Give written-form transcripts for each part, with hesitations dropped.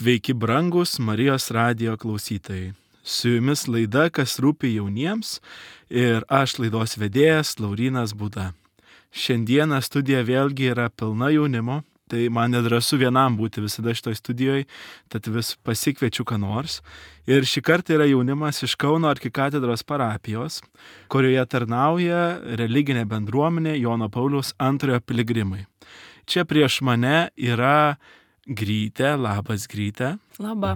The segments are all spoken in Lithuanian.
Sveiki brangus Marijos radijo klausytojai. Su jumis laida Kas rūpi jauniems ir aš laidos vedėjas Laurynas Būda. Šiandieną studija vėlgi yra pilna jaunimo, tai man nedrąsu vienam būti visada šitoj studijoje, tad vis pasikviečiu ką nors. Ir šį kartą yra jaunimas iš Kauno arkikatedros parapijos, kurioje tarnauja religinė bendruomenė Jono Pauliaus II piligrimai. Čia prieš mane yra Grytė, labas Grytė. Labą.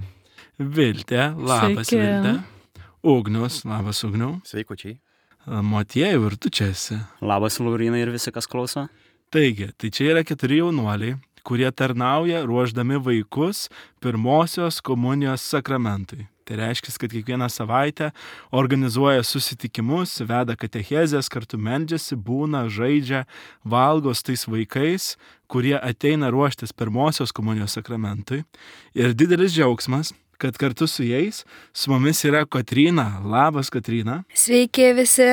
Viltė, labas Sveiki. Viltė. Ugnius, labas Ugniau. Sveikučiai. Motiejau, ir tu čia esi. Labas, Laurynai ir visi, kas klauso. Taigi, tai čia yra 4 jaunuoliai, kurie tarnauja ruošdami vaikus pirmosios komunijos sakramentui. Tai reiškia, kad kiekvieną savaitę organizuoja susitikimus, veda katechezės, kartu meldžiasi, būna, žaidžia, valgo su tais vaikais, kurie ateina ruoštis pirmosios komunijos sakramentui. Ir didelis džiaugsmas, kad kartu su jais su mumis yra Kotryna. Labas, Kotryna. Sveiki visi.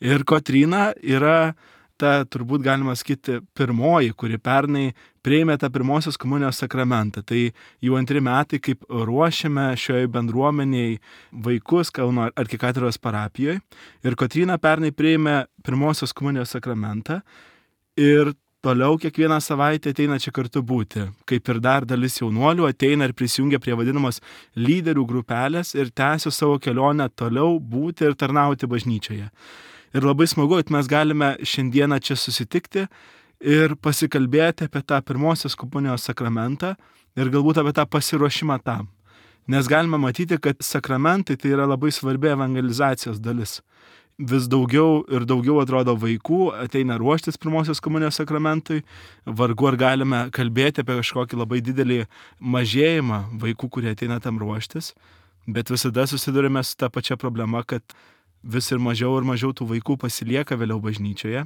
Ir Kotryna yra ta, turbūt galima sakyti, pirmoji, kuri pernai priėmė tą pirmosios komunijos sakramentą. Tai jau 2 metai, kaip ruošiame šioje bendruomeniai vaikus Kauno arkikatedros parapijoje. Ir Kotryna pernai priėmė pirmosios komunijos sakramentą ir toliau kiekvieną savaitę ateina čia kartu būti. Kaip ir dar dalis jaunuolių ateina ir prisijungia prie vadinamos lyderių grupelės ir tęsia savo kelionę toliau būti ir tarnauti bažnyčioje. Ir labai smagu, kad mes galime šiandieną čia susitikti ir pasikalbėti apie tą pirmosios komunijos sakramentą ir galbūt apie tą pasiruošimą tam. Nes galime matyti, kad sakramentai tai yra labai svarbi evangelizacijos dalis. Vis daugiau ir daugiau atrodo vaikų ateina ruoštis pirmosios komunijos sakramentui. Vargu ar galime kalbėti apie kažkokį labai didelį mažėjimą vaikų, kurie ateina tam ruoštis. Bet visada susidurime su ta pačia problema, kad vis ir mažiau tų vaikų pasilieka vėliau bažnyčioje,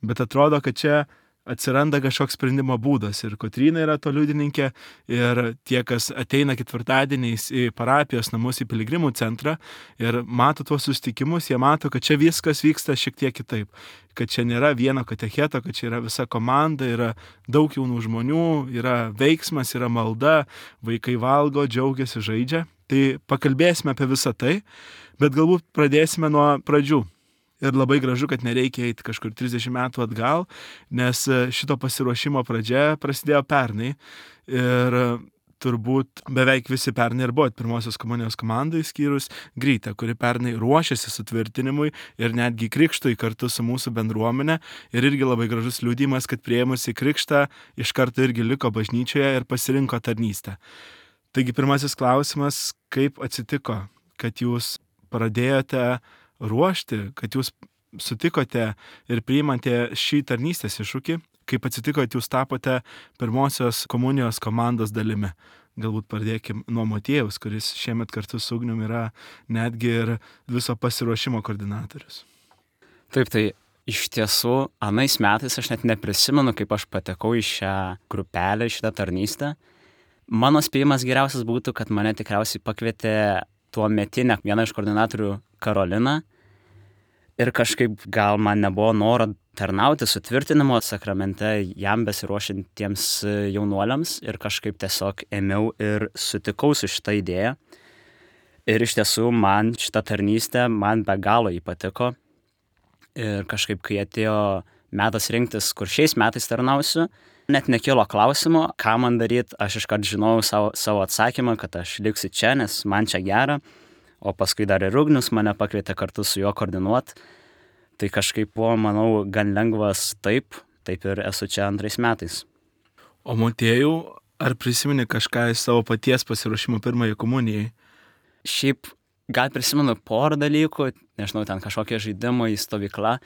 bet atrodo, kad čia atsiranda kažkoks sprendimo būdas ir Kotryna yra to liudininkė ir tie, kas ateina ketvirtadieniais į parapijos namus, į piligrimų centrą ir mato tuos susitikimus, jie mato, kad čia viskas vyksta šiek tiek kitaip, kad čia nėra vieno katecheto, kad čia yra visa komanda, yra daug jaunų žmonių, yra veiksmas, yra malda, vaikai valgo, džiaugiasi, žaidžia. Tai pakalbėsime apie visą tai, bet galbūt pradėsime nuo pradžių. Ir labai gražu, kad nereikia eiti kažkur 30 metų atgal, nes šito pasiruošimo pradžia prasidėjo pernai. Ir turbūt beveik visi pernai ir buvo pirmosios komunijos komandai, skyrus Grytę, kuri pernai ruošėsi sutvirtinimui ir netgi krikštui kartu su mūsų bendruomenė. Ir irgi labai gražus liudijimas, kad priėmusi krikštą iš karto irgi liko bažnyčioje ir pasirinko tarnystę. Taigi pirmasis klausimas, kaip atsitiko, kad jūs pradėjote ruošti, kad jūs sutikote ir priimate šį tarnystės iššūkį, kaip atsitiko, kad jūs tapote pirmosios komunijos komandos dalimi. Galbūt pradėkim nuo Motiejaus, kuris šiemet kartu su Ugnium yra netgi ir viso pasiruošimo koordinatorius. Taip, tai iš tiesų, anais metais aš net neprisimenu, kaip aš patekau į šią grupelę, į šitą tarnystę. Mano spėjimas geriausias būtų, kad mane tikriausiai pakvietė tuo metinę vieną iš koordinatorių Karolina ir kažkaip gal man nebuvo noro tarnauti sutvirtinimo sakramente jam besiruošiantiems jaunuoliams ir kažkaip tiesiog ėmiau ir sutikau su šitą idėją. Ir iš tiesų man šitą tarnystę man be galo patiko ir kažkaip kai atėjo metas rinktis, kur šiais metais tarnausiu, net nekilo klausimo, ką man daryti, aš iškart žinojau savo atsakymą, kad aš liksiu čia, nes man čia gera, o paskui dar ir Ugnius mane pakvietė kartu su juo koordinuoti. Tai kažkaip buvo, manau, gan lengvas taip ir esu čia 2 metais. O Motiejau, ar prisimeni kažką iš savo paties pasiruošimo pirmajai komunijai? Šiaip gal prisimenu porą dalykų, nežinau, ten kažkokie žaidimai, stovykla,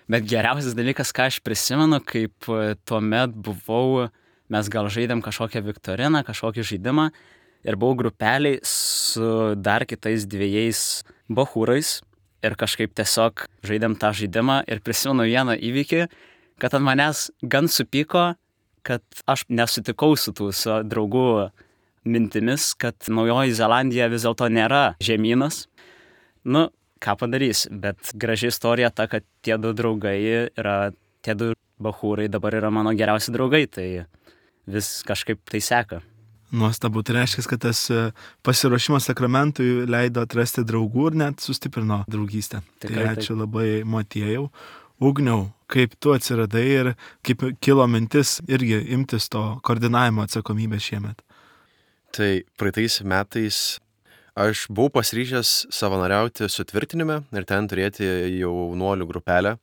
bet geriausias dalykas, ką aš prisimenu, kaip tuomet buvau, mes gal žaidėm kažkokią viktoriną, kažkokį žaidimą ir buvau grupeliai su dar kitais 2 bachūrais ir kažkaip tiesiog žaidėm tą žaidimą ir prisimenu vieną įvykį, kad ant manęs gan supyko, kad aš nesutikau su tų draugų mintimis, kad Naujoji Zelandija vis dėlto nėra žemynas. Ką padarys, bet graži istorija ta, kad tie 2 draugai yra, tie 2 bachūrai dabar yra mano geriausi draugai, tai vis kažkaip tai seka. Nuostabu, tai reiškia, kad tas pasiruošimas sakramentui leido atrasti draugų ir net sustiprino draugystę. Tikrai Tai ačiū labai, Motiejau. Ugniau, kaip tu atsiradai ir kaip kilo mintis irgi imtis to koordinavimo atsakomybės šiemet? Tai praeitais metais aš buvau pasiryžęs savanoriauti sutvirtinime ir ten turėti jaunuolių grupelę,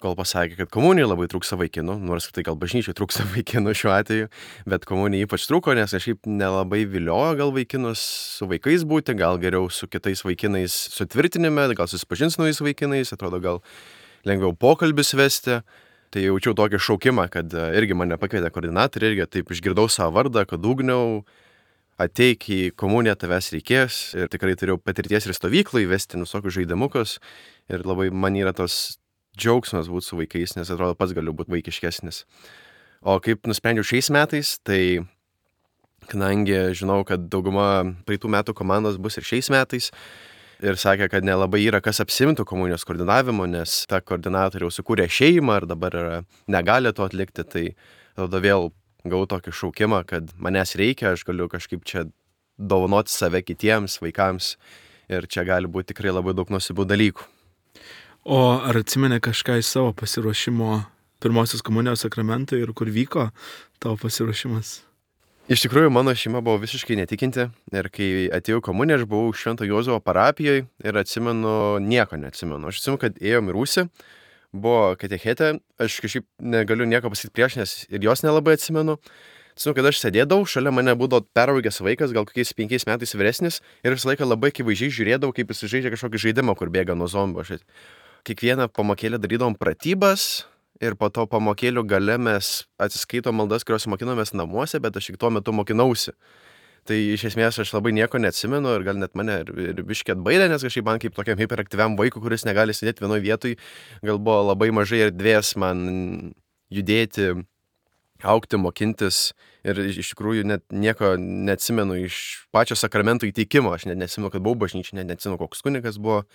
kol pasakė, kad komunijai labai trūksta vaikinų, nors tai gal bažnyčiai trūksta vaikinų šiuo atveju, bet komunijai ypač trūko, nes kažkaip nelabai viliojo gal vaikinus su vaikais būti, gal geriau su kitais vaikinais sutvirtinime, gal susipažins su naujais vaikinais, atrodo gal lengviau pokalbis vesti. Tai jaučiau tokį šaukimą, kad irgi mane pakvietė koordinatoriai, irgi taip išgirdau savo vardą, kad Ugniau, ateik į komuniją, tavęs reikės. Ir tikrai turėjau patirties ir stovyklai vesti visokius žaidimukus. Ir labai man yra tos džiaugsmas būti su vaikais, nes atrodo pats galiu būti vaikiškesnis. O kaip nusprendžiau šiais metais, tai kadangi žinau, kad dauguma praeitų metų komandos bus ir šiais metais, ir sakė, kad nelabai yra kas apsimtų komunijos koordinavimu, nes ta koordinatorė jau sukūrė šeimą ir dabar negali to atlikti, tai tada vėl gavau tokį šaukimą, kad manęs reikia, aš galiu kažkaip čia dovanoti save kitiems vaikams ir čia gali būti tikrai labai daug nuostabių dalykų. O ar atsimeni kažką iš savo pasiruošimo pirmosios komunijos sakramentui ir kur vyko tavo pasiruošimas? Iš tikrųjų, mano šeima buvo visiškai netikinti ir kai atėjau komuniją, aš buvau Švento Juozapo parapijoje ir nieko neatsimenu. Aš atsimenu, kad ėjom į rūsį, buvo katechetė, aš kažkaip negaliu nieko pasakyti prieš, nes ir jos nelabai atsimenu. Atsimenu, kad aš sėdėdavau, šalia mane būdavo peraugęs vaikas, gal kokiais 5 metais vyresnis ir visą laiką labai akivaizdžiai žiūrėdavau, kaip jis žaidžia kažkokį žaidimą, kur bėga nuo zombių. Kiekvieną pamokėlę darydavom pratybas ir po to pamokėlių gale mes atsiskaitom maldas, kurios mokinomės namuose, bet aš tik tuo metu mokinausi. Tai iš esmės aš labai nieko neatsimenu ir gal net mane ir biškį atbaidė, nes kažkaip man kaip tokiam hiperaktyviam vaikui, kuris negali sėdėti vienoje vietoje, gal buvo labai mažai erdvės man judėti, augti, mokintis ir iš tikrųjų net nieko neatsimenu iš pačio sakramento įteikimo. Aš net neatsimenu, kad buvau bažnyčiai, net neatsimenu, koks kunigas buvo.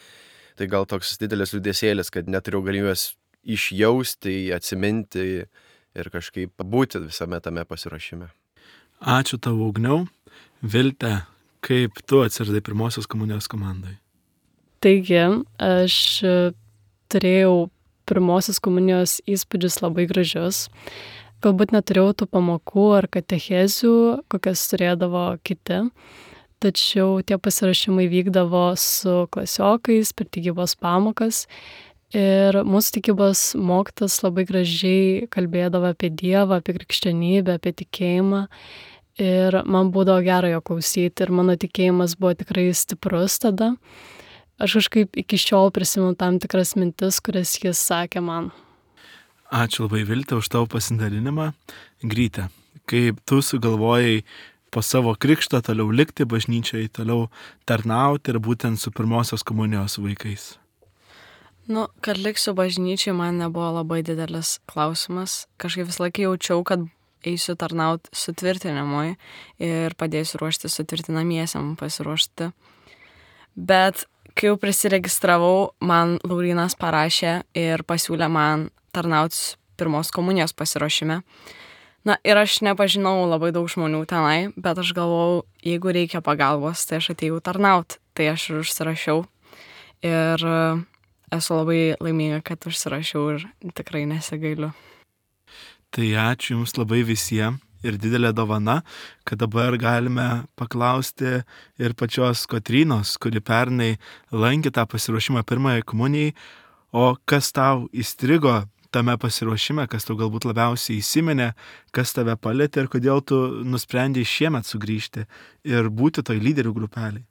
Tai gal toks didelis liūdesėlis, kad neturėjau galimybės išjausti, atsiminti ir kažkaip būti visame tame pasiruošime. Ačiū tavo, Ugniau. Vilte, kaip tu atsiradai pirmosios komunijos komandai? Taigi, aš turėjau pirmosios komunijos įspūdžius labai gražius. Galbūt neturėjau tų pamokų ar katechezių, kokias turėdavo kiti. Tačiau tie pasirašymai vykdavo su klasiokais per tikybos pamokas ir mūsų tikybos mokytojas labai gražiai kalbėdavo apie Dievą, apie krikščionybę, apie tikėjimą ir man būdavo gera jo klausyti ir mano tikėjimas buvo tikrai stiprus tada. Aš kažkaip iki šiol prisimenu tam tikras mintis, kurias jis sakė man. Ačiū labai, Vilte, už tavo pasidalinimą. Gryte, kaip tu sugalvojai po savo krikšto toliau likti bažnyčiai, toliau tarnauti ir būtent su pirmosios komunijos vaikais? Kad liksiu bažnyčiai man nebuvo labai didelis klausimas. Kažkaip visą laiką jaučiau, kad eisiu tarnauti sutvirtinimui ir padėsiu ruošti sutvirtinamiesiam pasiruošti. Bet kai jau prisiregistravau, man Laurynas parašė ir pasiūlė man tarnauti pirmos komunijos pasiruošime. Ir aš nepažinau labai daug žmonių tenai, bet aš galvojau, jeigu reikia pagalbos, tai aš atėjau tarnauti. Tai aš ir užsirašiau ir esu labai laiminga, kad užsirašiau ir tikrai nesigailiu. Tai ačiū Jums labai visiems ir didelė dovana, kad dabar galime paklausti ir pačios Kotrynos, kuri pernai lankė tą pasiruošimą pirmajai komunijai, o kas tau įstrigo tame pasiruošime, kas tau galbūt labiausiai įsiminė, kas tave palietė ir kodėl tu nusprendei šiemet sugrįžti ir būti toj lyderių grupeliai?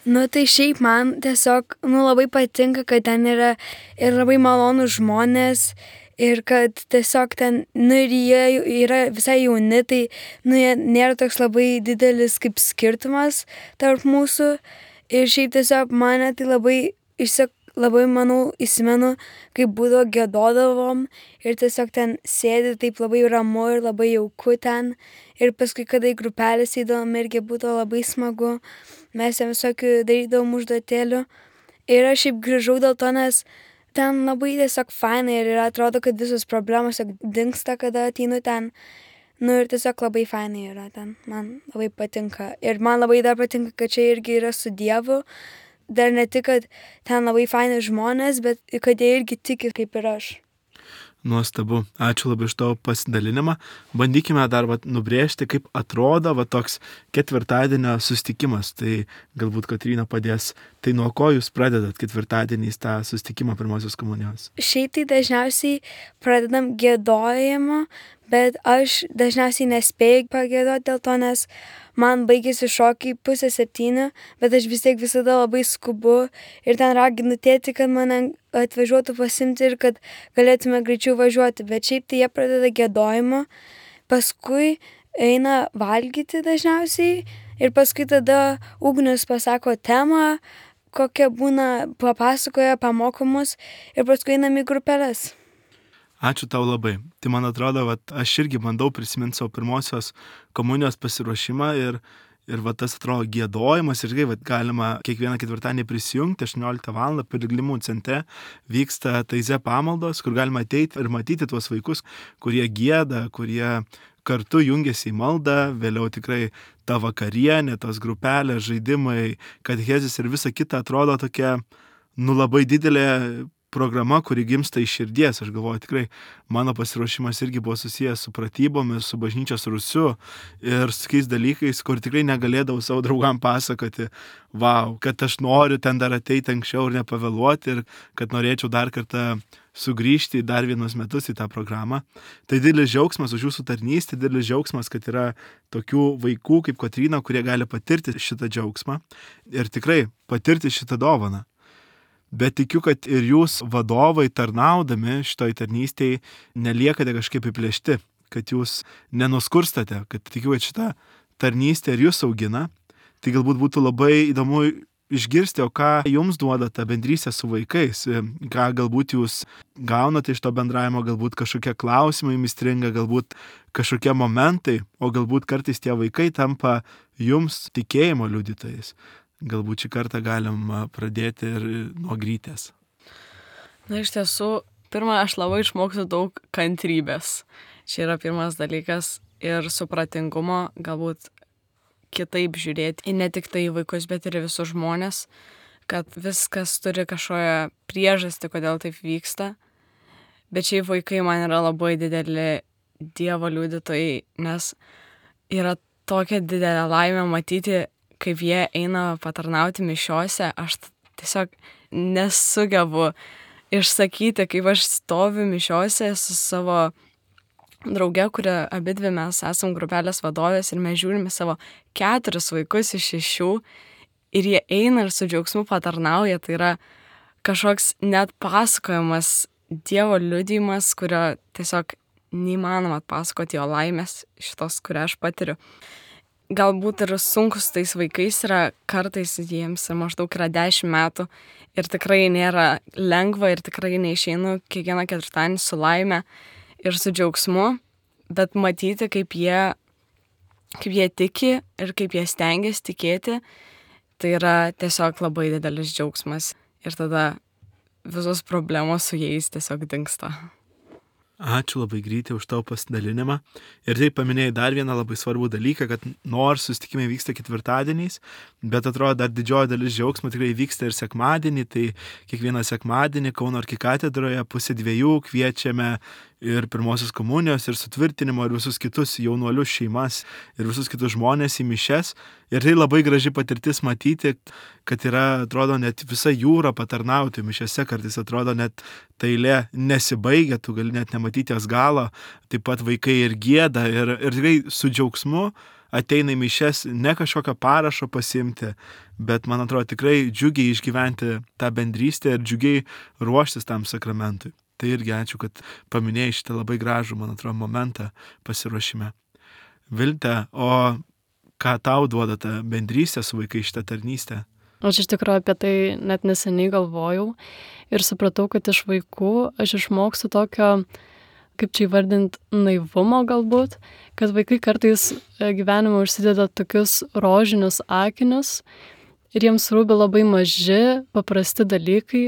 Tai šiaip man tiesiog labai patinka, kad ten yra ir labai malonūs žmonės ir kad tiesiog ten, ir jie yra visai jauni, tai nėra toks labai didelis kaip skirtumas tarp mūsų ir šiaip tiesiog mane tai labai, manau, įsimenu, kaip būdavo giedodavom ir tiesiog ten sėdi taip labai ramu ir labai jauku ten. Ir paskui, kada į grupelės eidavom, irgi būdavo labai smagu. Mes ten visokių darydavom užduotėlių. Ir aš šiaip grįžau dėl to, nes ten labai tiesiog fainai ir atrodo, kad visos problemos dingsta, kada ateinu ten. Nu ir tiesiog labai fainai yra ten, man labai patinka. Ir man labai dar patinka, kad čia irgi yra su Dievu. Dar ne tik, kad ten labai faini žmonės, bet kad jie irgi tiki kaip ir aš. Nuostabu. Ačiū labai iš tavo pasidalinimą. Bandykime dar nubrėžti, kaip atrodo toks ketvirtadienio susitikimas. Tai galbūt Kotryna padės. Tai nuo ko jūs pradedat ketvirtadieniais tą susitikimą pirmosios komunijos? Šiaip tai dažniausiai pradedam giedojimą, bet aš dažniausiai nespėju pagiedoti dėl to, nes man baigėsi šokiai 6:30, bet aš vis tiek visada labai skubu ir ten raginu tėtį, kad mane atvažiuotų pasimti ir kad galėtume greičiau važiuoti. Bet šiaip tai jie pradeda giedojimą, paskui eina valgyti dažniausiai ir paskui tada Ugnius pasako temą, kokia būna, papasakoja, pamokomus ir paskui einam į grupelės. Ačiū tau labai. Tai man atrodo, aš irgi bandau prisiminti savo pirmosios komunijos pasiruošimą ir tas atrodo giedojimas irgi galima kiekvieną ketvirtadienį prisijungti 18 val. Piligrimų centre vyksta taize pamaldos, kur galima ateiti ir matyti tuos vaikus, kurie gieda, kurie kartu jungiasi į maldą, vėliau tikrai ta vakarienė, tos grupelės, žaidimai, katechezės ir visa kita atrodo tokia, labai didelė programa, kuri gimsta iš širdies. Aš galvoju, tikrai mano pasiruošimas irgi buvo susijęs su pratybomis, su bažnyčios rūsiu ir su tokiais dalykais, kur tikrai negalėdavau savo draugam pasakoti, kad aš noriu ten dar ateiti anksčiau ir nepavėluoti ir kad norėčiau dar kartą sugrįžti dar vienus metus į tą programą. Tai didelis džiaugsmas už jūsų tarnystę, didelis džiaugsmas, kad yra tokių vaikų kaip Kotryna, kurie gali patirti šitą džiaugsmą ir tikrai patirti šitą dovaną. Bet tikiu, kad ir jūs vadovai tarnaudami šitoj tarnystėje neliekate kažkaip įplėšti, kad jūs nenuskurstate, kad tikiu, kad šitą tarnystę ir jūs augina. Tai galbūt būtų labai įdomu išgirsti, o ką jums duoda ta bendrystė su vaikais, ką galbūt jūs gaunate iš to bendravimo, galbūt kažkokie klausimai jums stringa, galbūt kažkokie momentai, o galbūt kartais tie vaikai tampa jums tikėjimo liudytojais. Galbūt šį kartą galim pradėti ir nuo Grytės. Na, iš tiesų, pirmą, aš labai išmokstu daug kantrybės. Čia yra pirmas dalykas ir supratingumo, galbūt kitaip žiūrėti į ne tik tai vaikus, bet ir visus žmonės, kad viskas turi kažkokią priežastį, kodėl taip vyksta. Bet šiaip vaikai man yra labai dideli Dievo liudytojai, nes yra tokia didelė laimė matyti, kaip jie eina patarnauti mišiose. Aš tiesiog nesugebu išsakyti, kaip aš stoviu mišiose su savo drauge, kuria abidvi mes esam grupelės vadovės ir mes žiūrime savo 4 vaikus iš 6 ir jie eina ir su džiaugsmu patarnauja. Tai yra kažkoks net pasakojimas, Dievo liudijimas, kurio tiesiog neįmanoma atpasakoti, jo laimės šitos, kurią aš patiriu. Galbūt ir sunkus tais vaikais yra, kartais jiems maždaug yra 10 metų ir tikrai nėra lengva ir tikrai neišeinu kiekvieną ketvirtadienį su laime ir su džiaugsmu, bet matyti, kaip jie tiki ir kaip jie stengiasi tikėti, tai yra tiesiog labai didelis džiaugsmas ir tada visos problemos su jais tiesiog dingsta. Ačiū labai Grytė už tavo pasidalinimą. Ir taip paminėjai dar vieną labai svarbų dalyką, kad nors susitikimai vyksta ketvirtadieniais, bet atrodo dar didžioji dalis džiaugsmo tikrai vyksta ir sekmadienį. Tai kiekvieną sekmadienį Kauno arkikatedroje 1:30 kviečiame ir pirmosios komunijos, ir sutvirtinimo, ir visus kitus jaunuolius šeimas, ir visus kitus žmonės į mišias. Ir tai labai graži patirtis matyti, kad yra, atrodo, net visa jūra patarnauti mišiose, kartais atrodo net ta eilė nesibaigia, tu gali net nematyti jos galo, taip pat vaikai ir gieda, ir tikrai su džiaugsmu ateina į mišias ne kažkokio parašo pasiimti, bet man atrodo tikrai džiugiai išgyventi tą bendrystę ir džiugiai ruoštis tam sakramentui. Tai irgi ačiū, kad paminėjai šitą labai gražų, man atrodo, momentą pasiruošime. Vilte, o ką tau duoda ta bendrystė su vaikai šitą tarnystę? Aš iš tikrųjų apie tai net neseniai galvojau ir supratau, kad iš vaikų aš išmokstu tokio, kaip čia įvardinti, naivumo galbūt, kad vaikai kartais gyvenime užsideda tokius rožinius akinius ir jiems rūpi labai maži, paprasti dalykai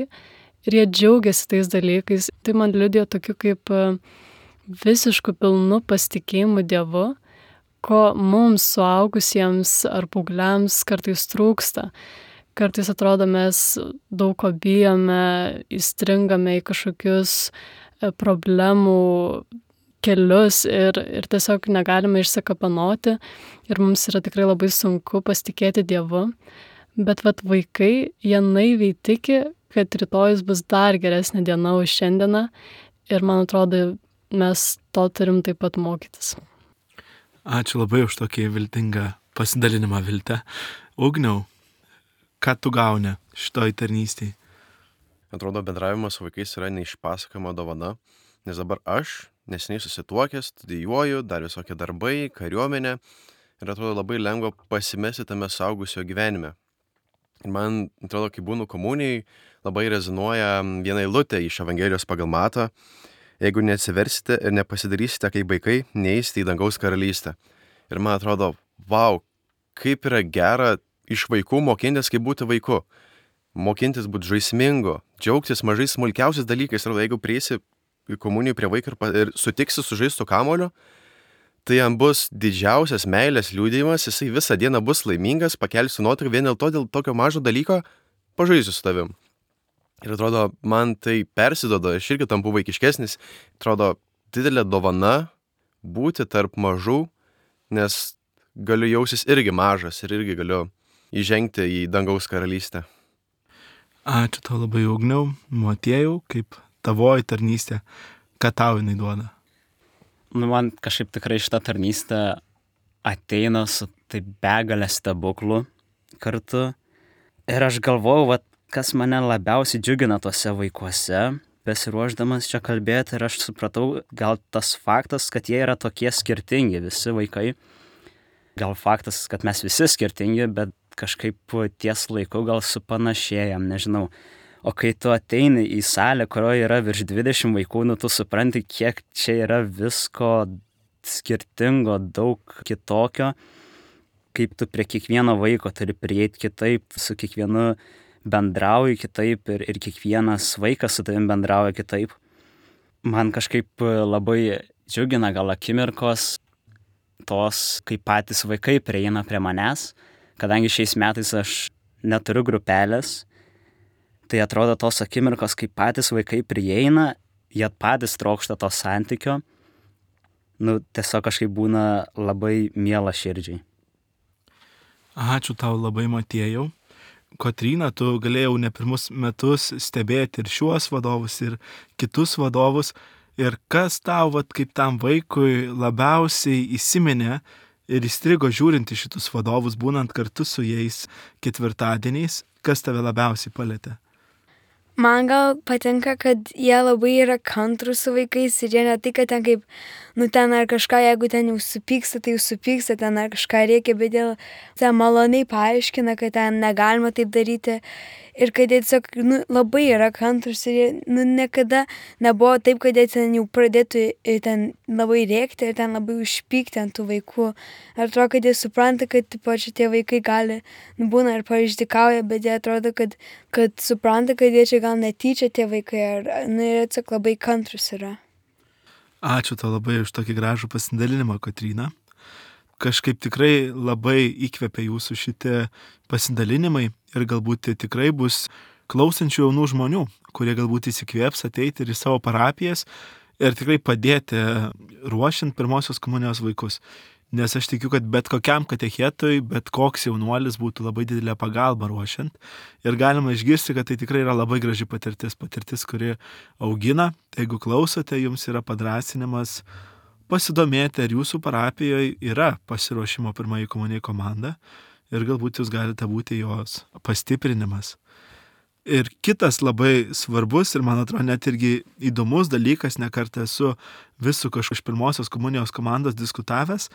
ir jie džiaugiasi tais dalykais. Tai man liudija tokiu kaip visišku pilnu pasitikėjimu Dievu, ko mums suaugusiems ar paaugliams kartais trūksta. Kartais atrodo, mes daug ko bijome, įstringame į kažkokius problemų kelius ir tiesiog negalime išsikapanoti ir mums yra tikrai labai sunku pasitikėti Dievu. Bet vaikai, jie naiviai tiki, kad rytojus bus dar geresnė diena už šiandieną ir man atrodo, mes to turim taip pat mokytis. Ačiū labai už tokį viltingą pasidalinimą, Vilte. Ugniau, ką tu gauni šitoj tarnystėj? Atrodo, bendravimas su vaikais yra neišpasakojama dovana, nes dabar aš neseniai susituokęs, studijuoju, dar visokie darbai, kariuomenė ir atrodo labai lengva pasimesti tame suaugusio gyvenime. Ir man atrodo, kai būnu komunijai, labai rezonuoja viena eilutė iš Evangelijos pagal Matą: jeigu neatsiversite ir nepasidarysite kaip vaikai, neįsite į dangaus karalystę. Ir man atrodo, vau, kaip yra gera iš vaikų mokintis, kaip būti vaiku. Mokintis būti žaismingu, džiaugtis mažais smulkiausiais dalykais. Ir jeigu prieisi į komuniją prie vaiko ir sutiksi su žaistu kamuoliu, tai jam bus didžiausias meilės liudijimas, jisai visą dieną bus laimingas, pakelsiu nuotrauką vien dėl tokio mažo dalyko, pažaisiu su tavim. Ir atrodo, man tai persidoda, aš irgi tampu vaikiškesnis, atrodo, didelė dovana būti tarp mažų, nes galiu jausis irgi mažas ir irgi galiu įžengti į dangaus karalystę. Ačiū tau labai, Ugniau. Motiejau, kaip tavoji tarnystė, ką tau jinai duoda? Man kažkaip tikrai šitą tarnystę ateina su taip begalė stebuklų kartu. Ir aš galvojau, kas mane labiausiai džiugina tuose vaikuose, besiruošdamas čia kalbėti, ir aš supratau, gal tas faktas, kad jie yra tokie skirtingi, visi vaikai. Gal faktas, kad mes visi skirtingi, bet kažkaip ties laiku gal supanašėjam, nežinau. O kai tu ateini į salę, kurioje yra virš 20 vaikų, tu supranti, kiek čia yra visko skirtingo, daug kitokio, kaip tu prie kiekvieno vaiko turi prieiti kitaip, su kiekvienu bendrauji kitaip ir kiekvienas vaikas su tavim bendrauja kitaip. Man kažkaip labai džiugina gal akimirkos tos, kai patys vaikai prieina prie manęs, kadangi šiais metais aš neturiu grupelės, tai atrodo tos akimirkos, kai patys vaikai prieina, jie patys trokšta to santykio, tiesiog kažkaip būna labai miela širdžiai. Ačiū tau labai, Motiejau. Kotryna, tu galėjau ne pirmus metus stebėti ir šiuos vadovus, ir kitus vadovus. Ir kas tau, kaip tam vaikui, labiausiai įsiminė ir įstrigo žiūrinti šitus vadovus, būnant kartu su jais ketvirtadieniais, kas tave labiausiai palėtė? Man gal patinka, kad jie labai yra kantrūs su vaikais ir jie ne tai, kad ten kaip, ten ar kažką, jeigu ten jau supyksta, tai jau supyksta, ten ar kažką reikia, bet jie ten maloniai paaiškina, kad ten negalima taip daryti ir kad jie tiesiog labai yra kantrūs ir jie niekada nebuvo taip, kad jie ten jau pradėtų ten labai rėkti ir ten labai užpykti ant tų vaikų. Ar atrodo, kad jie supranta, kad tie vaikai gali, būna ir pareišdikauja, bet jie atrodo, kad supranta, kad jie čia gal netyčia tie vaikai, ar jie tiesiog labai kantrus yra. Ačiū tau labai už tokį gražų pasidalinimą, Kotryna. Kažkaip tikrai labai įkvepia jūsų šitie pasidalinimai ir galbūt tikrai bus klausančių jaunų žmonių, kurie galbūt įsikvėps ateiti ir į savo parapijas ir tikrai padėti ruošiant pirmosios komunijos vaikus. Nes aš tikiu, kad bet kokiam katechetui, bet koks jaunuolis būtų labai didelė pagalba ruošiant. Ir galima išgirsti, kad tai tikrai yra labai graži patirtis, kuri augina. Jeigu klausote, jums yra padrąsinimas pasidomėti, ar jūsų parapijoje yra pasiruošimo pirmąjį komunijai komanda ir galbūt jūs galite būti jos pastiprinimas. Ir kitas labai svarbus ir, man atrodo, net irgi įdomus dalykas, nekartą esu visų kažkokios iš pirmosios komunijos komandos diskutavęs,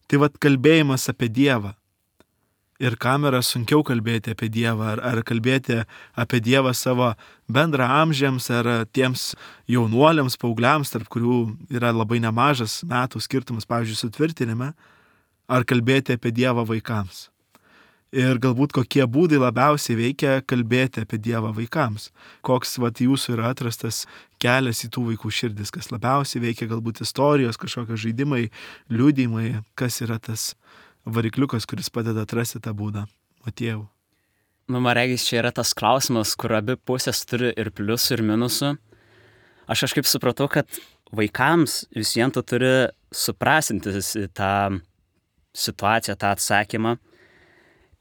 tai kalbėjimas apie Dievą. Ir kam yra sunkiau kalbėti apie Dievą, ar kalbėti apie Dievą savo bendraamžiams, ar tiems jaunuoliams, paaugliams, tarp kurių yra labai nemažas metų skirtumas, pavyzdžiui, sutvirtinime, ar kalbėti apie Dievą vaikams. ir galbūt kokie būdai labiausiai veikia kalbėti apie Dievą vaikams. Koks jūsų yra atrastas kelias į tų vaikų širdis, kas labiausiai veikia, galbūt istorijos, kažkokie žaidimai, liudijimai, kas yra tas varikliukas, kuris padeda atrasti tą būdą. Motiejau. Man regis, čia yra tas klausimas, kur abi pusės turi ir pliusų, ir minusų. Aš kažkaip supratau, kad vaikams vis vien tu turi suprasinti tą situaciją, tą atsakymą.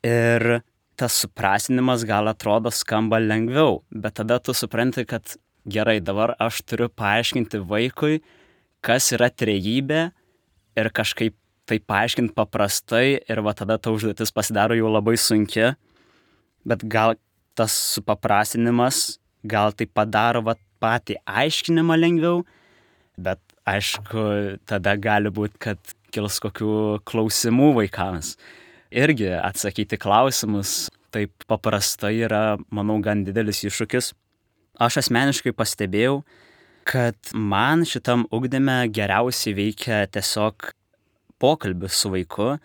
Ir tas suprasinimas gal atrodo skamba lengviau, bet tada tu supranti, kad gerai, dabar aš turiu paaiškinti vaikui, kas yra trejybė ir kažkaip tai paaiškinti paprastai ir tada ta užduotis pasidaro jau labai sunki, bet gal tas supaprastinimas, gal tai padaro patį aiškinimą lengviau, bet aišku, tada gali būti, kad kils kokių klausimų vaikams. Irgi atsakyti klausimus taip paprastai yra, manau, gan didelis iššūkis. Aš asmeniškai pastebėjau, kad man šitam ugdyme geriausiai veikia tiesiog pokalbis su vaiku,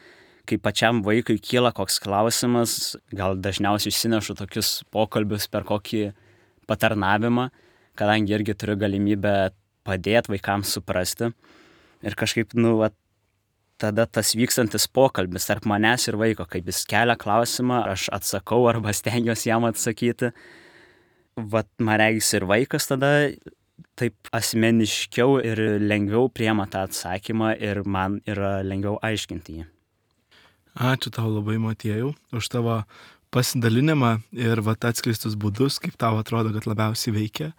kai pačiam vaikui kyla koks klausimas, gal dažniausiai išsinešu tokius pokalbius per kokį patarnavimą, kadangi irgi turiu galimybę padėti vaikams suprasti. Ir kažkaip, tada tas vykstantis pokalbis tarp manęs ir vaiko, kaip jis kelia klausimą, aš atsakau arba stengiuosi jam atsakyti. Man regis ir vaikas tada taip asmeniškiau ir lengviau priima tą atsakymą ir man yra lengviau aiškinti jį. Ačiū tau labai, Motiejau, už tavo pasidalinimą ir atskleistus būdus, kaip tau atrodo, kad labiausiai veikia.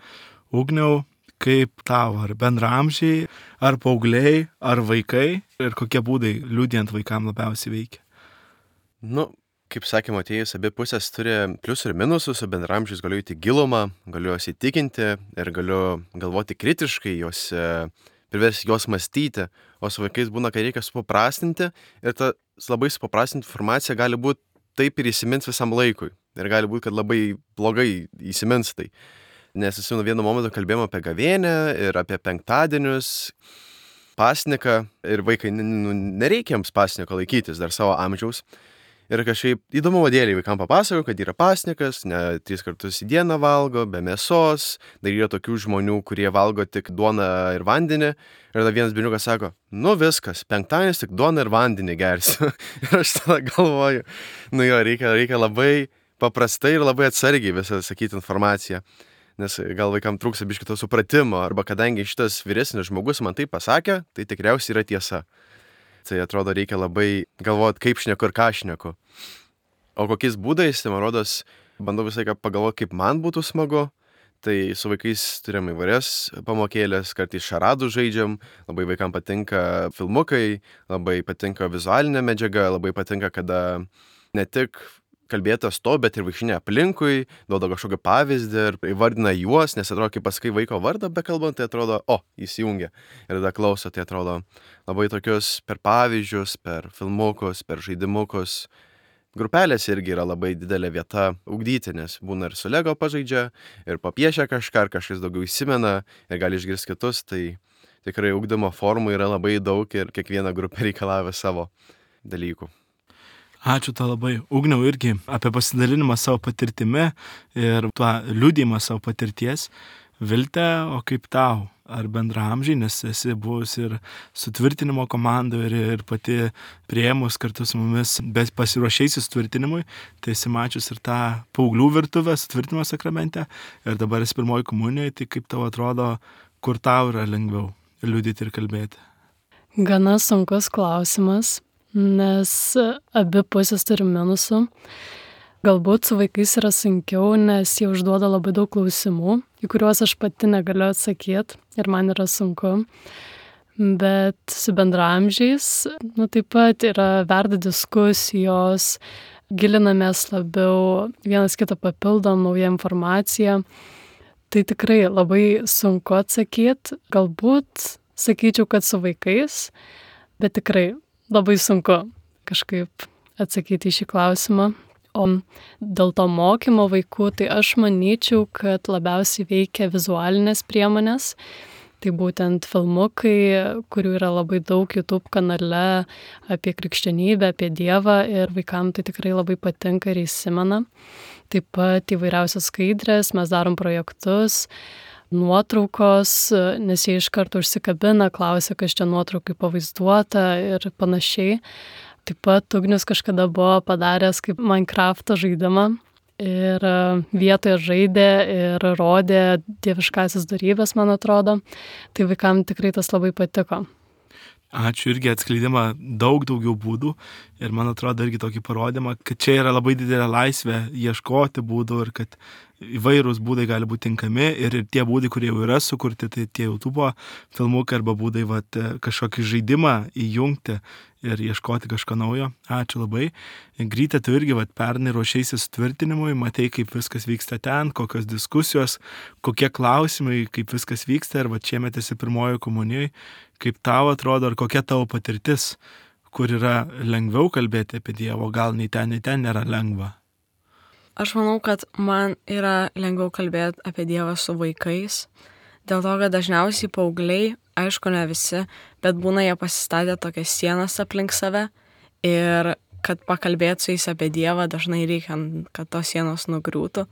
Ugniau, kaip tau, ar bendraamžiai, ar paaugliai, ar vaikai ir kokie būdai liudijant vaikam labiausiai veikia? Kaip sakė Motiejus, abi pusės turi pliusų ir minusų, su bendraamžiais galiu įti gilumą, galiu juos įtikinti ir galiu galvoti kritiškai, priversti juos mąstyti, o su vaikais būna, kai reikia supaprastinti ir ta labai supaprastinti informacija gali būti taip ir įsimins visam laikui ir gali būti, kad labai blogai įsimins tai. Nes vienu momentu kalbėjome apie gavėnią ir apie penktadienius, pasniką ir vaikai, nereikia jiems pasniko laikytis dar savo amžiaus. Ir kažkaip įdomumo dėlei vaikam papasakau, kad yra pasnikas, ne 3 kartus į dieną valgo, be mėsos, dar yra tokių žmonių, kurie valgo tik duoną ir vandenį. Ir tada vienas berniukas sako, viskas, penktadienis tik duoną ir vandenį gersiu. Ir aš tada galvoju, reikia labai paprastai ir labai atsargiai visą sakyti informaciją. Nes gal vaikam trūksta biškį to supratimo, arba kadangi šitas vyresnis žmogus man tai pasakė, tai tikriausiai yra tiesa. Tai atrodo reikia labai galvoti, kaip šneku ir ką šneku. O kokiais būdais, tai man rodos, bandau visą laiką pagalvoti, kaip man būtų smagu. Tai su vaikais turėjom įvairias pamokėlės, kartais šaradų žaidžiam, labai vaikam patinka filmukai, labai patinka vizualinė medžiaga, labai patinka, kada ne tik kalbėtas to, bet ir vaikštinė aplinkui, duoda kažkokį pavyzdį ir įvardina juos, nes atrodo, kai pasakai vaiko vardą bekalbant, tai atrodo, įsijungia. Ir tada klauso, tai atrodo labai tokius per pavyzdžius, per filmukus, per žaidimukus. Grupelės irgi yra labai didelė vieta ugdyti, nes būna ir su Lego pažaidžia, ir papiešia kažką, ar kažkas daugiau įsimena, ir gali išgirsti kitus, tai tikrai ugdymo formų yra labai daug ir kiekviena grupė reikalauja savo dalykų. Ačiū tau labai. Ugniau irgi apie pasidalinimą savo patirtimi ir tuo liudijimą savo patirties. Vilte, o kaip tau? Ar bendraamžiai, nes esi buvus ir sutvirtinimo komandoje ir pati priėmus kartu su mumis pasiruošėjusi sutvirtinimui, tai esi mačius ir tą paauglių virtuvę sutvirtinimo sakramente ir dabar esi pirmoji komunijoje, tai kaip tau atrodo, kur tau yra lengviau liudyti ir kalbėti? Gana sunkus klausimas. Nes abi pusės turi minusų. Galbūt su vaikais yra sunkiau, nes jie užduoda labai daug klausimų, į kuriuos aš pati negaliu atsakyti ir man yra sunku. Bet su bendraamžiais, taip pat verda diskusijos, gilinamės labiau, vienas kitą papildom naują informaciją. Tai tikrai labai sunku atsakyti. Galbūt sakyčiau, kad su vaikais, bet tikrai labai sunku kažkaip atsakyti į šį klausimą. O dėl to mokymo vaikų, tai aš manyčiau, kad labiausiai veikia vizualinės priemonės, Tai būtent filmukai, kurių yra labai daug YouTube kanale apie krikščionybę, apie Dievą ir vaikams tai tikrai labai patinka ir įsimena. Taip pat įvairiausios skaidrės, mes darom projektus, nuotraukos, nes jie iš karto užsikabina, klausia, kas čia nuotraukai pavaizduota ir panašiai. Taip pat Ugnius kažkada buvo padaręs kaip Minecraft'o žaidimą ir vietoje žaidė ir rodė dieviškasias dorybes, man atrodo. Tai vaikams tikrai tas labai patiko. Ačiū, irgi atskleidimą daug daugiau būdų ir man atrodo irgi tokį parodymą, kad čia yra labai didelė laisvė ieškoti būdų ir kad įvairūs būdai gali būti tinkami ir tie būdai, kurie jau yra sukurti, tai tie YouTube filmukai arba būdai kažkokį žaidimą įjungti ir ieškoti kažko naujo. Ačiū labai. Gryte, tu irgi pernai ruošeisi sutvirtinimui, matei, kaip viskas vyksta ten, kokios diskusijos, kokie klausimai, kaip viskas vyksta ir šiemet esi pirmojo komunijoje. Kaip tau atrodo, ar kokia tavo patirtis, kur yra lengviau kalbėti apie Dievą, gal nei ten nėra lengva? Aš manau, kad man yra lengviau kalbėti apie Dievą su vaikais, dėl to, kad dažniausiai paaugliai, aišku, ne visi, bet būna jie pasistatę tokias sienas aplink save ir kad pakalbėti su jais apie Dievą dažnai reikia, kad tos sienos nugriūtų.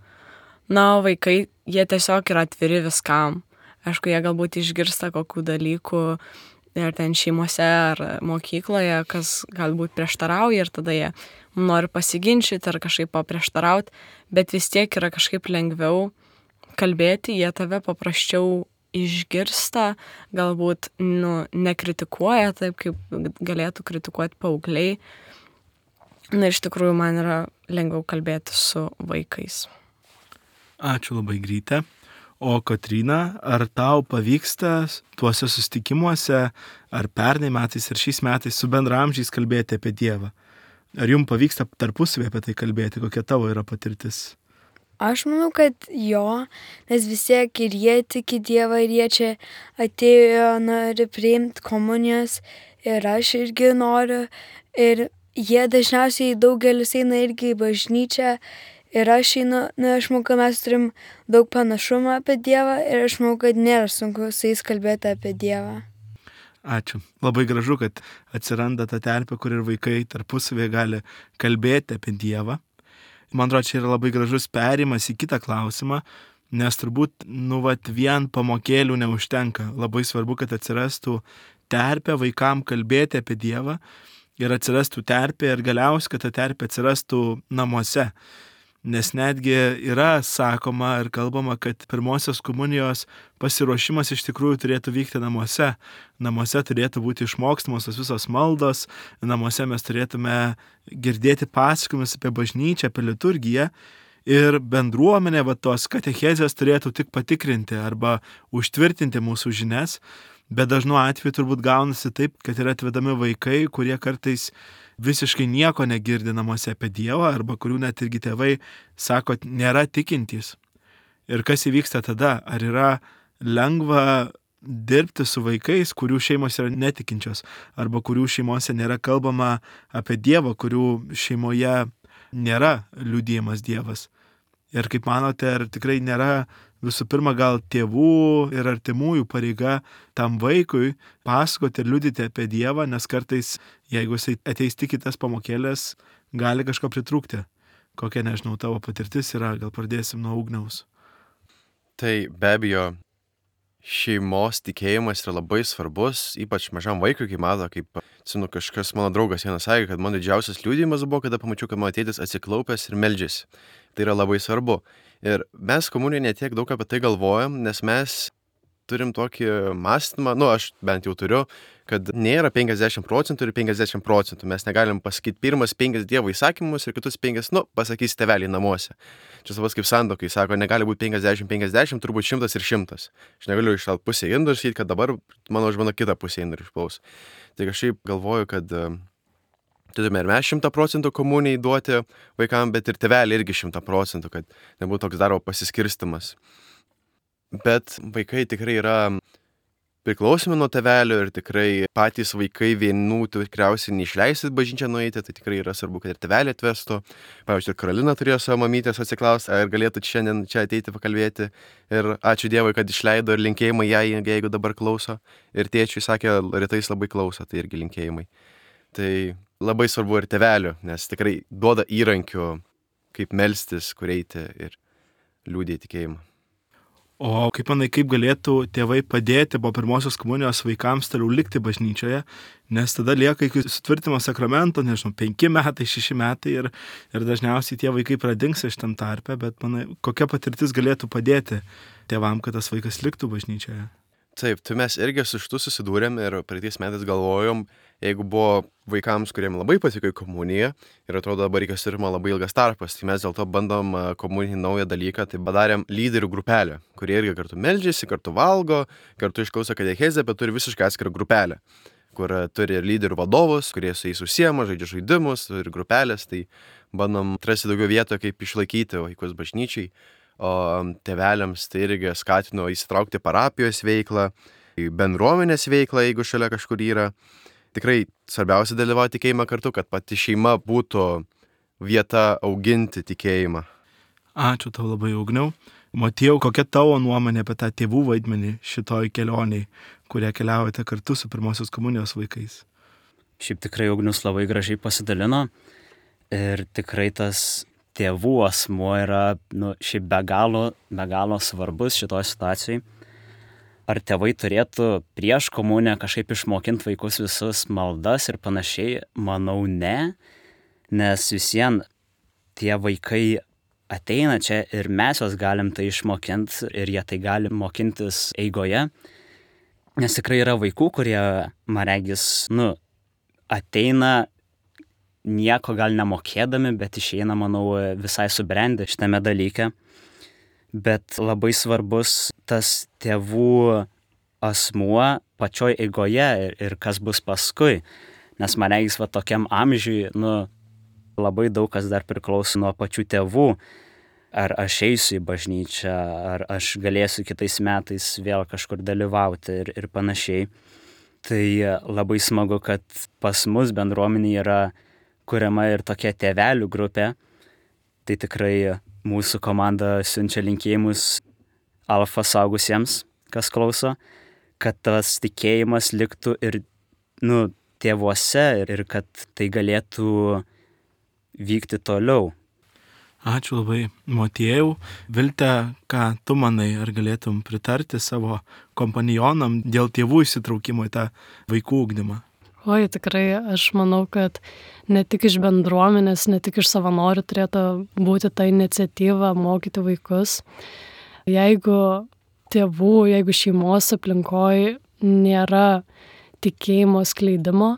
Na, o vaikai, jie tiesiog yra atviri viskam. Aišku, jie galbūt išgirsta kokių dalykų ir ten šeimose ar mokykloje, kas galbūt prieštarauja ir tada jie nori pasiginčyti ar kažkaip paprieštarauti, bet vis tiek yra kažkaip lengviau kalbėti, jie tave paprasčiau išgirsta, galbūt nekritikuoja taip, kaip galėtų kritikuoti paaugliai. Na, iš tikrųjų, man yra lengviau kalbėti su vaikais. Ačiū labai, Gryte. O Kotryna, ar tau pavyksta tuose susitikimuose, ar pernai metais, ar šiais metais su bendraamžiais kalbėti apie Dievą? Ar jums pavyksta tarpusavį apie tai kalbėti? Kokia tavo yra patirtis? Aš manau, kad jo, nes vis tiek ir jie tiki Dievą, ir jie čia atėjo, nori priimti komunijos, ir aš irgi noriu. Ir jie dažniausiai daugelis eina irgi į bažnyčią. Ir aš einu, aš manau, kad mes turim daug panašumą apie Dievą ir aš manau, kad nėra sunku su jais kalbėti apie Dievą. Ačiū. Labai gražu, kad atsiranda ta terpė, kur ir vaikai tarpusavėje gali kalbėti apie Dievą. Man atrodo, čia yra labai gražus perėjimas į kitą klausimą, nes turbūt vien pamokėlių neužtenka. Labai svarbu, kad atsirastų terpė vaikam kalbėti apie Dievą ir atsirastų terpė ir galiausiai, kad ta terpė atsirastų namuose. Nes netgi yra sakoma ir kalbama, kad pirmosios komunijos pasiruošimas iš tikrųjų turėtų vykti namuose. Namuose turėtų būti išmokstamos tos visos maldos, namuose mes turėtume girdėti pasakojimus apie bažnyčią, apie liturgiją ir bendruomenė tos katechezės turėtų tik patikrinti arba užtvirtinti mūsų žinias, bet dažnu atveju turbūt gaunasi taip, kad yra atvedami vaikai, kurie kartais visiškai nieko negirdi namuose apie Dievą arba kurių net irgi tėvai sako, nėra tikintys. Ir kas įvyksta tada? Ar yra lengva dirbti su vaikais, kurių šeimos yra netikinčios arba kurių šeimose nėra kalbama apie Dievą, kurių šeimoje nėra liudijimas Dievas? Ir kaip manote, ar tikrai nėra visų pirma gal tėvų ir artimųjų pareiga tam vaikui pasakoti ir liudyti apie Dievą, nes kartais, jeigu jisai ateis tik į tas pamokėlės, gali kažko pritrūkti. Kokia, nežinau, tavo patirtis yra, gal pradėsim nuo Ugniaus. Tai be abejo, šeimos tikėjimas yra labai svarbus, ypač mažam vaikui, kaip mato, kažkas mano draugas vienas sakė, kad mano didžiausias liudijimas buvo, kada pamačiau, kad mano tėtis atsiklaupęs ir meldžiasi. Tai yra labai svarbu. Ir mes komunijoje netiek daug apie tai galvojam, nes mes turim tokį mąstymą, aš bent jau turiu, kad nėra 50% ir 50%. Mes negalim pasakyti pirmas 5 Dievo įsakymus ir kitus 5, pasakys tėveliai namuose. Čia savas kaip santuokai, sako, negali būti 50-50, turbūt 100 ir 100. Aš negaliu iššalt pusę indų ir sakyti, kad dabar mano žmona kitą pusę indų išplaus. Tai kažkaip galvoju, kad turime ir mes 100% komunijai duoti vaikam, bet ir tėveliai irgi 100%, kad nebūtų toks darbo pasiskirstimas. Bet vaikai tikrai yra priklausomi nuo tėvelių ir tikrai patys vaikai vienų tikriausiai neišleisit bažnyčią nueiti, tai tikrai yra svarbu, kad ir tėvelį atvestų. Pavyzdžiui, Karolina turėjo savo mamytės atsiklausti, ar galėtų šiandien čia ateiti pakalbėti. Ir ačiū Dievui, kad išleido ir linkėjimai jai, jeigu dabar klauso. Ir tėčiui sakė, rytais labai klauso, tai irgi linkėjimai. Tai labai svarbu ir tėvelių, nes tikrai duoda įrankių, kaip melstis, kur eiti ir liūdėti tikėjimą. O kaip manai, kaip galėtų tėvai padėti po pirmosios komunijos vaikams toliau likti bažnyčioje, nes tada lieka iki sutvirtimo sakramento, 5 metai, 6 metai ir dažniausiai tie vaikai pradingsta iš tam tarpe, bet manai, kokia patirtis galėtų padėti tėvam, kad tas vaikas liktų bažnyčioje? Taip, tai mes irgi su šitu susidūrėm ir praeitais metais galvojom, jeigu buvo vaikams, kuriem labai patiko į komuniją ir atrodo dabar reikia sirima labai ilgas tarpas, tai mes dėl to bandom komuninį naują dalyką, tai padarėm lyderių grupelę, kurie irgi kartu meldžiasi, kartu valgo, kartu išklauso katechezę, bet turi visiškai atskirą grupelę, kur turi ir lyderių vadovus, kurie su jais užsiema, žaidžia žaidimus ir grupelės, tai bandom atrasti daugiau vietų, kaip išlaikyti vaikus bažnyčiai. O tėveliams tai irgi skatino įsitraukti parapijos veiklą, bendruomenės veiklą, jeigu šalia kažkur yra. Tikrai svarbiausia dalyvauti tikėjimą kartu, kad pati šeima būtų vieta auginti tikėjimą. Ačiū tau labai, Ugniau. Motiejau, kokia tavo nuomonė apie tą tėvų vaidmenį šitoj kelioniai, kurią keliaujate kartu su pirmosios komunijos vaikais? Šiaip tikrai Ugnius labai gražiai pasidalino ir tikrai tas tėvų asmuo yra šiaip be galo svarbus šitoj situacijai. Ar tėvai turėtų prieš komuniją kažkaip išmokinti vaikus visus maldas ir panašiai? Manau, ne, nes visien tie vaikai ateina čia ir mes juos galim tai išmokinti ir jie tai gali mokintis eigoje. Nes tikrai yra vaikų, kurie, man regis, ateina nieko gal nemokėdami, bet išeina, manau, visai subrendę šitame dalyke. Bet labai svarbus tas tėvų asmuo pačioj eigoje ir kas bus paskui. Nes man regis, tokiam amžiui, labai daug kas dar priklauso nuo pačių tėvų. Ar aš eisiu į bažnyčią, ar aš galėsiu kitais metais vėl kažkur dalyvauti ir panašiai. Tai labai smagu, kad pas mus bendruomenė yra kuriama ir tokia tėvelių grupė. Tai tikrai mūsų komanda siunčia linkėjimus Alfa suaugusiems, kas klauso, kad tas tikėjimas liktų ir tėvuose ir kad tai galėtų vykti toliau. Ačiū labai, Motiejau. Vilte, ką tu manai, ar galėtum pritarti savo kompanionam dėl tėvų įsitraukimo į tą vaikų ugdymą? Oi, tikrai, aš manau, kad ne tik iš bendruomenės, ne tik iš savanorių turėtų būti ta iniciatyva mokyti vaikus. Jeigu tėvų, jeigu šeimos aplinkoj nėra tikėjimo skleidimo,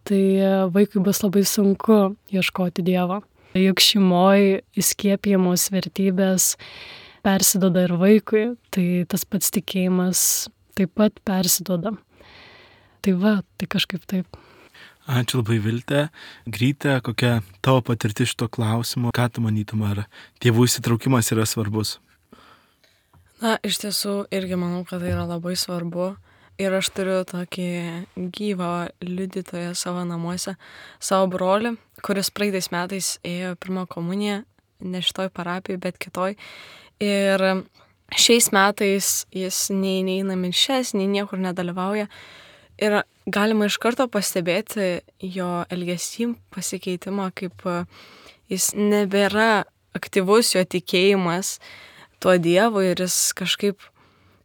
tai vaikui bus labai sunku ieškoti Dievo. Juk šeimoje įskiepijamos vertybės persiduoda ir vaikui, tai tas pats tikėjimas taip pat persiduoda. Tai tai kažkaip taip. Ačiū labai, Vilte. Gryte, kokia tavo patirtis šito klausimu? Ką tu manytum, ar tėvų įsitraukimas yra svarbus? Iš tiesų irgi manau, kad tai yra labai svarbu. Ir aš turiu tokį gyvą liudytoją savo namuose, savo brolį, kuris praeitais metais ėjo pirmą komuniją, ne šitoj parapijoj, bet kitoj. Ir šiais metais jis nei neina mišias, nei niekur nedalyvauja. Ir galima iš karto pastebėti jo elgesį pasikeitimą, kaip jis nebėra aktyvus jo tikėjimas tuo Dievu ir jis kažkaip,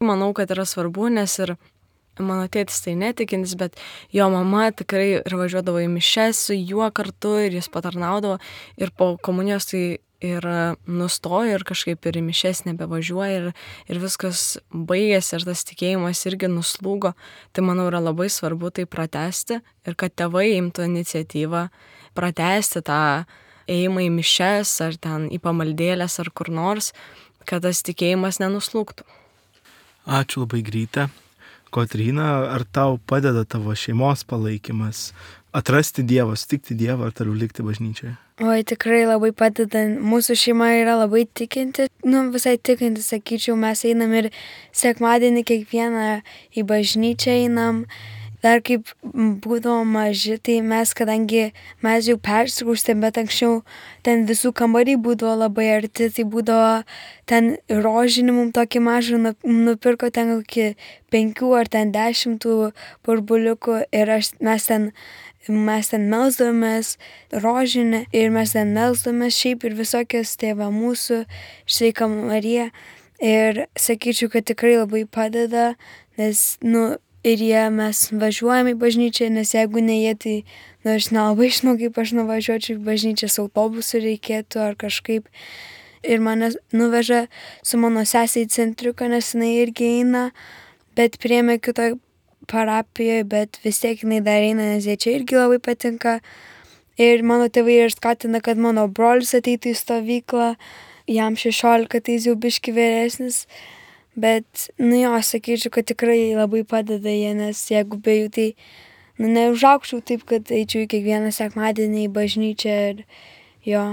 manau, kad yra svarbu, nes ir mano tėtis tai netikintis, bet jo mama tikrai ir važiuodavo į mišias su juo kartu ir jis patarnaudavo ir po komunijos tai ir nustojo ir kažkaip ir į mišias nebevažiuoja ir viskas baigėsi ir tas tikėjimas irgi nuslūgo. Tai manau yra labai svarbu tai pratęsti ir kad tėvai imtų iniciatyvą pratęsti tą ėjimą į mišias ar ten į pamaldėlės ar kur nors, kad tas tikėjimas nenuslūgtų. Ačiū labai, Gryte. Kotryna, ar tau padeda tavo šeimos palaikymas atrasti Dievą, sutikti Dievą ar toliau likti bažnyčioje? Oi, tikrai labai padeda. Mūsų šeima yra labai tikinti, visai tikinti, sakyčiau, mes einam ir sekmadienį kiekvieną į bažnyčią einam. Dar kaip būdavo maži, tai kadangi mes jau persikraustėm, bet anksčiau ten visų kambariai būdavo labai arti, tai būdavo ten rožinį mums tokį mažą nupirko ten kokį 5 ar ten 10 burbuliukų ir mes ten melsdavomės rožinį ir mes ten melsdavomės šiaip ir visokias Tėvą mūsų, Sveika Marija. Ir sakyčiau, kad tikrai labai padeda, nes, ir mes važiuojame į bažnyčią, nes jeigu ne jie, tai aš nelabai žinau, kaip aš nuvažiuočiau į bažnyčią, autobusu reikėtų ar kažkaip. Ir mane nuveža su mano sesė į centriuką, nes jinai irgi eina, bet priėmė kitoje parapijoje, bet vis tiek jinai dar eina, nes jie čia irgi labai patinka. Ir mano tėvai ir skatina, kad mano brolis ateitų į stovyklą, jam 16, tai jis jau biški vyresnis. Bet, sakyčiau, kad tikrai labai padeda jie, nes jeigu be jų, tai, neužaukčiau taip, kad eičiau į kiekvieną sekmadienį į bažnyčią ir jo.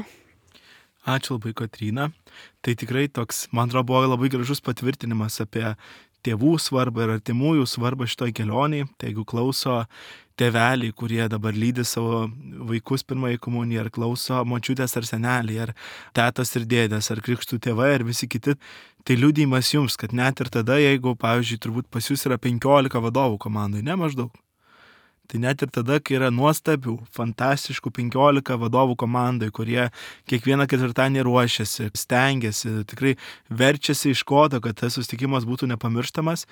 Ačiū labai, Kotryna. Tai tikrai toks, man atrodo, buvo labai gražus patvirtinimas apie tėvų svarbą ir artimųjų svarbą šitoj kelionėj. Tai jeigu klauso tėveliai, kurie dabar lydi savo vaikus pirmąjį komuniją, ar klauso močiutės ar seneliai, ar tetos ir dėdės, ar krikštų tėvai, ar visi kiti, tai liudijimas jums, kad net ir tada, jeigu, pavyzdžiui, turbūt pas jūs yra 15 vadovų komandai, ne maždaug. Tai net ir tada, kai yra nuostabių, fantastiškų 15 vadovų komandai, kurie kiekvieną ketvirtadienį ruošiasi, stengiasi, tikrai verčiasi iš kodo, kad tas susitikimas būtų nepamirštamas,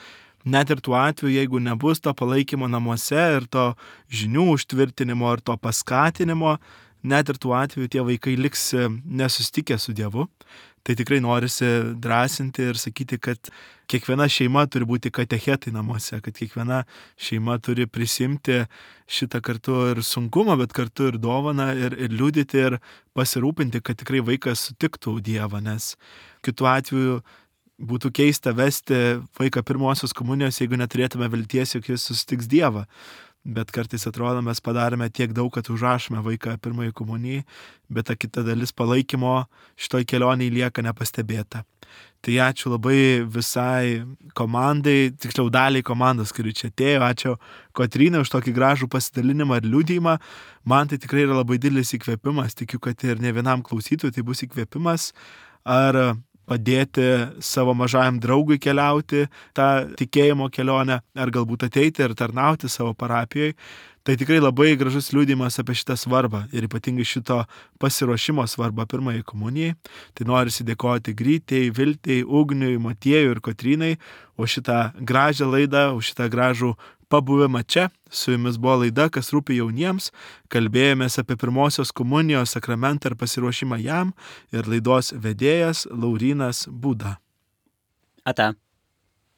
net ir tuo atveju, jeigu nebus to palaikymo namuose ir to žinių užtvirtinimo ir to paskatinimo, net ir tuo atveju tie vaikai liks nesusitikę su Dievu. Tai tikrai norisi drąsinti ir sakyti, kad kiekviena šeima turi būti katechetai namuose, kad kiekviena šeima turi prisimti šitą kartu ir sunkumą, bet kartu ir dovaną ir liudyti ir pasirūpinti, kad tikrai vaikas sutiktų Dievą, nes kitu atveju būtų keista vesti vaiką pirmosios komunijos, jeigu neturėtume vilties, jog jis susitiks Dievą. Bet kartais atrodo, mes padarėme tiek daug, kad užrašome vaiką pirmąjį komunijai, bet ta kita dalis palaikymo šitoj kelionėje lieka nepastebėta. Tai ačiū labai visai komandai, tiksliau daliai komandos, kuri čia atėjo. Ačiū Kotrynai už tokį gražų pasidalinimą ir liudijimą. Man tai tikrai yra labai didelis įkvėpimas. Tikiu, kad ir ne vienam klausytojui tai bus įkvėpimas. Ar padėti savo mažajam draugui keliauti tą tikėjimo kelionę, ar galbūt ateiti ir tarnauti savo parapijoje. Tai tikrai labai gražus liudijimas apie šitą svarbą ir ypatingai šito pasiruošimo svarbą pirmąjį komunijai. Tai norisi dėkoti Grytei, Viltei, Ugniui, Matiejui ir Kotrynai už šitą gražią laidą, už šitą gražų pabuvimą čia. Su jumis buvo laida, kas rūpi jauniems. Kalbėjomės apie pirmosios komunijos sakramentą ir pasiruošimą jam ir laidos vedėjas Laurynas Būda. Ate.